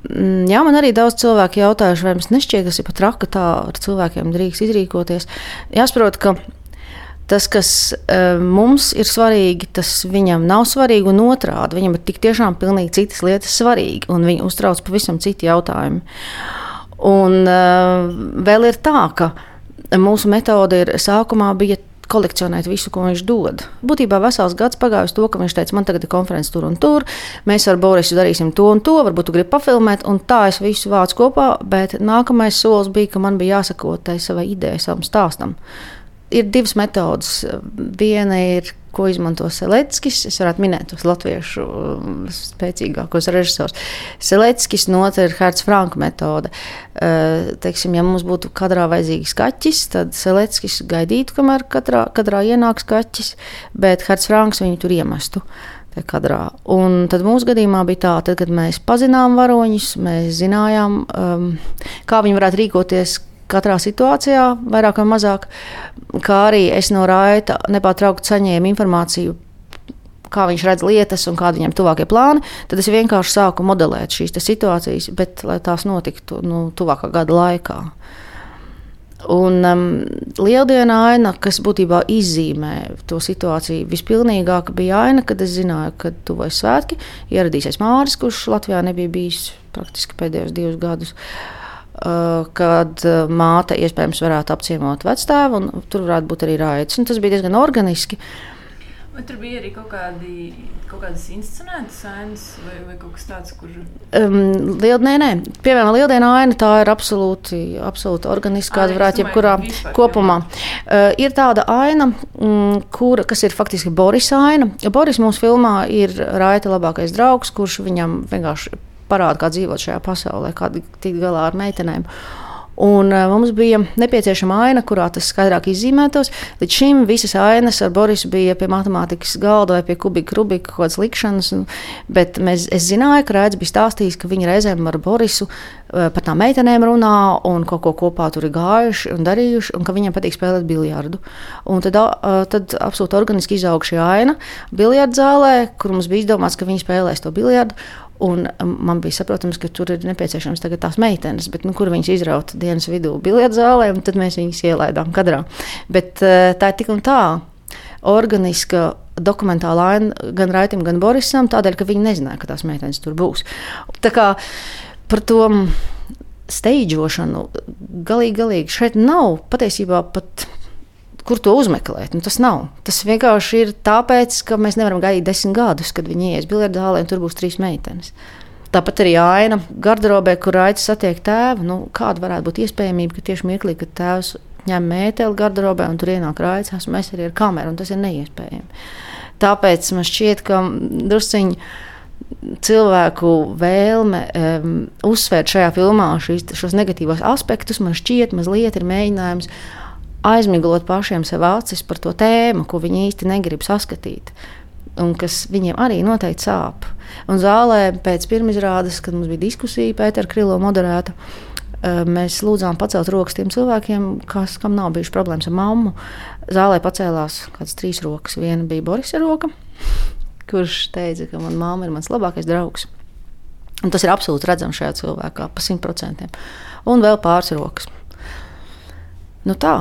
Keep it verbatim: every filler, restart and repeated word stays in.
Jā, man arī daudz cilvēku jautājuši, vai mums nešķiet, kas ir pat traka, tā ar cilvēkiem drīkst izrīkoties. Jāsaprot, ka tas, kas uh, mums ir svarīgi, tas viņam nav svarīgi un otrādi. Viņam ir tik tiešām pilnīgi citas lietas svarīgi, un viņu uztrauc pavisam citi jautājumi. Un uh, vēl ir tā, ka mūsu metode ir sākumā bija kolekcionēt visu, ko viņš dod. Būtībā vesels gads pagājis to, ka viņš teica, man tagad ir konferences tur un tur, mēs ar Borisu darīsim to un to, varbūt tu gribi pafilmēt, un tā es visu vācu kopā, bet nākamais solis bija, ka man bija jāsako tai savai idejai, savam stāstam. Ir divas metodas. Viena ir, ko izmanto Seleckis. Es varētu minēt tos latviešu spēcīgākos režisors. Seleckis, un otra ir Herts Franka metode. Teiksim, ja mums būtu kadrā vajadzīgs kaķis, tad Seleckis gaidītu, kamēr kadrā, kadrā ienāks kaķis, bet Herts Franks viņu tur iemestu. Kadrā. Un tad mūsu gadījumā bija tā, tad, kad mēs pazinām varoņus, mēs zinājām, um, kā viņi varētu rīkoties katrā situācijā, vairāk vai mazāk, kā arī es no Raita nepārtraukti saņēmu informāciju, kā viņš redz lietas un kādi viņam tuvākie plāni, tad es vienkārši sāku modelēt šīs situācijas, bet lai tās notiktu nu, tuvākā gada laikā. Un um, lieldiena aina, kas būtībā izzīmē to situāciju vispilnīgāk, bija aina, kad es zināju, ka tuvojas svētki, ieradīsies Māris, kurš Latvijā nebija bijis praktiski pēdējos divus gadus, kad māte iespējams varētu apciemot vectēvu, un tur varētu būt arī Raits. Un tas bija diezgan organiski. Vai tur bija arī kaut, kādi, kaut kādas inscenētas ainas vai, vai kaut kas tāds, kur... Um, liel, nē, nē. Piemēram, lieldiena aina, tā ir absolūti, absolūti organiska, kāda varētu jebkurā kopumā. Uh, ir tāda aina, um, kura, kas ir faktiski Boris aina. Boris mūsu filmā ir Raita labākais draugs, kurš viņam vienkārši parāda, kā dzīvot šajā pasaulē, kā tikt galā ar meitenēm. Un uh, mums bija nepieciešama aina, kurā tas skaidrāk izzīmētos. Līdz šim visas ainas ar Borisu bija pie matemātikas galda vai pie kubika, rubika, kaut kādas likšanas. Un, bet mēs, es zināju, ka Raits bija stāstījis, ka viņi reizēm ar Borisu uh, par tām meitenēm runā un kaut ko kopā tur ir gājuši un darījuši, un ka viņiem patīk spēlēt biljardu. Un tad, uh, tad absolūti organiski izauga šī aina biljardu zālē, kur mums bija izdomāts, ka viņi spēlēs to biljardu. Un man bija saprotams, ka tur ir nepieciešams tagad tās meitenes, bet nu, kur viņas izraut dienas vidū biljardu zālē, un tad mēs viņas ielaidām kadrā. Bet tā ir tik un tā organiska dokumentāla aina gan Raitim, gan Borisam, tādēļ, ka viņi nezināja, ka tās meitenes tur būs. Tā kā par to steidžošanu galīgi, galīgi šeit nav patiesībā pat kur to uzmeklēt. Nu, tas nav. Tas vienkārši ir tāpēc, ka mēs nevaram gaidīt desmit gadus, kad viņi ies biljardu zālē un tur būs trīs meitenes. Tāpat arī aina garderobē, kur Raits satiek tēvu. Nu, kāda varētu būt iespējamība, ka tieši mirklī, kad tēvs ņem mēteli garderobē un tur ienāk Raits, esmu es arī ar kameru, un tas ir neiespējami. Tāpēc man šķiet, ka drusciņi cilvēku vēlme um, uzsvērt šajā filmā šīs, šos negatīvos aspektus, man šķiet mazliet ir mēģinājums aizmiglot pašiem sev acis par to tēmu, ko viņi īsti negrib saskatīt, un kas viņiem arī noteikti sāp. Un zālē pēc pirmizrādes, kad mums bija diskusija, Pētera Krilo moderēta, mēs lūdzām pacelt rokas tiem cilvēkiem, kas, kam nav bijuši problēmas ar mammu. Zālē pacēlās kāds trīs rokas. Viena bija Borisa roka, kurš teica, ka man mamma ir mans labākais draugs. Un tas ir absolūti redzams šajā cilvēkā, pa simt procentiem. Un vēl pāris rokas. Nu tā.